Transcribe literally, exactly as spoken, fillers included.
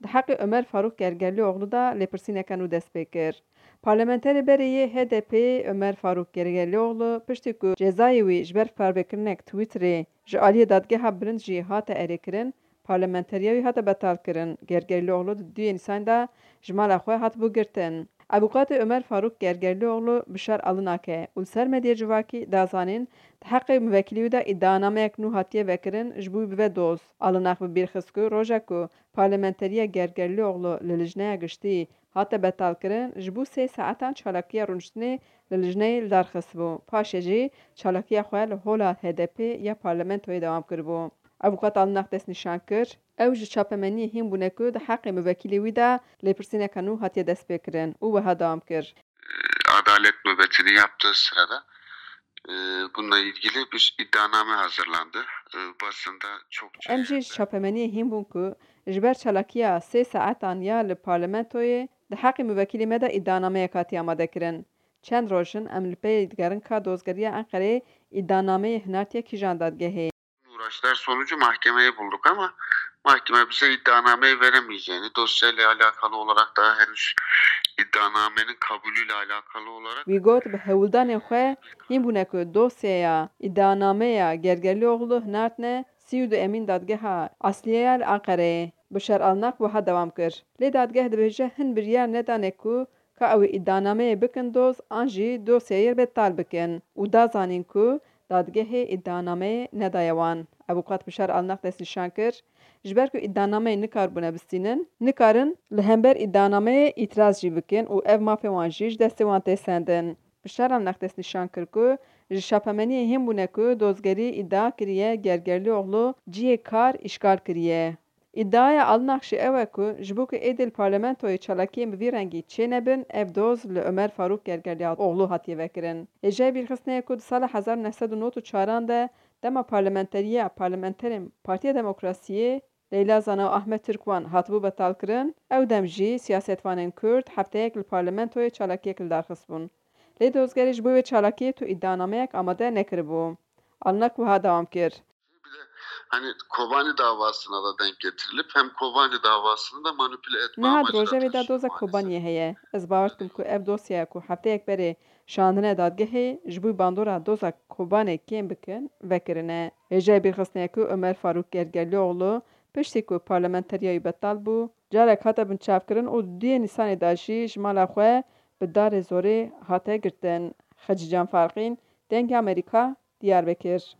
di heqê Omer Farûk Gergerlîoglu de lêpirsîneke nû dest pê kir. Parlamenterê berê yê H D P Omer Farûk Gergerlîoglu piştî ku cezayê wî ji ber parvekirinek Twitterê ji aliyê dadgeha bilind jî hate erêkirin, parlamenteriya wî hate betalkirin. Gergerlîoglu di duyê Nîsanê de ji mala xwe hatibû girtin. Avûkatê Omer Farûk Gergerlîoglu Bişar Alinak e û li ser medyaya civakî da zanîn, di heqê muvekîlê wî de îdianameyek nû hatiye vekirin, ji bo wî bibe doz. Alinak bi bîr xist ku roja ku parlamenteriya Gergerlîoglu li lijneya giştî hate betalkirin, ji bo sê saetan çalakiya rûniştinê li lijneyê li dar xistibû. Paşê jî çalakiya xwe li hola H D P ya parlamentoyê dewam kiribû. Avûkat Alinak destnîşan kir, ew ji çapemeniyê hîn bûne ku di heqê muvekîlê wî de lêpirsîneke nû hatiye destpêkirin û wiha dewam kir. Adalet nöbetini yaptığı sırada, e, bununla ilgili bir iddianame hazırlandı. E, basında çokça Em jî ji çapemeniyê hîn bûn ku ji ber çalakiya sê saetan ya li parlamentoyê di heqê muvekîlê me de îdianameyek hatiye amadekirin. Çend roj in em li pey digerin ka dozgeriya Enqereyê îdianameyê hinartiye kîjan dadgehê. Uğraşlar sonucu mahkemeye bulduk ama mahkeme bize iddianameyi veremeyeceğini, dosyayla alakalı olarak daha henüz iddianamenin kabulüyle alakalı olarak Wî got, bi hewldanên xwe hîn bûne ku dosyeya îdianameya Gergerlîoglu hinartine sî û du emîn dadgeha Asliyeya li Enqereyê. Bişar Alinak wiha dewam kir, lê dadgeh dibêje hin biryar nedane ku ka ew ê îdianameyê bikin doz an jî dosyeyê betal bikin û da zanîn ku dadgehê îdianameyê nedaye wan. Avûkat Bişar Alinak destnîşan kir, ji ber ku îdianameyê nikaribûne bistînin, nikarin li hember îdianameyê îtiraz jî bikin û ev mafê wan jî ji destê wan tê sendin. Bişar Alinak destnîşan kir ku ji çapemeniyê hîn bûne ku dozgerî îdia kiriye Gergerlîoglu cihê kar îşgal kiriye. Îdiaya Alinak jî ew e ku ji bo ku êdî li parlamentoyê çalakiyên bi vî rengî çênebin, ev doz li Omer Farûk Gergerlîoglu hatiye vekirin. Hêjayî bîrxistinê ye ku di sala hezar û neh sed û nod û çaran de dema parlamenteriya parlamenterên Partiya Demokrasiyê Leyla Zana û Ahmet Tirkwan hatibû betalkirin, ew dem jî siyasetvanên Kurd hefteyek li parlamentoyê çalakiyek li dar xistibûn. Lê dozgerê ji bo wê çalakiyê tu îdianameyak amade nekiribû. Alinak wiha dewam kir. Bir de hani Kobani davasına da denk getirilip hem Kobani davasını da manipüle etme Niha di amacı da rojevê de taşıyor doza maalesef. Kobaniyê heye. Ez bawer dikim ku ev dosyaya ku hefteyek berê şandine dadgehê, ji bo bandora doza Kobanê kêm bikin, vekirine. Hêjayê bîrxistinê ye ku Omer Farûk Gergerlîoglu piştî ku parlamenteriya wî betal bû, carek hate binçavkirin û duyê Nîsanê de jî ji mala xwe bi darê zorê hate girtin. Xecîcan Farqîn, Dengê Amerîka, Diyarbekir.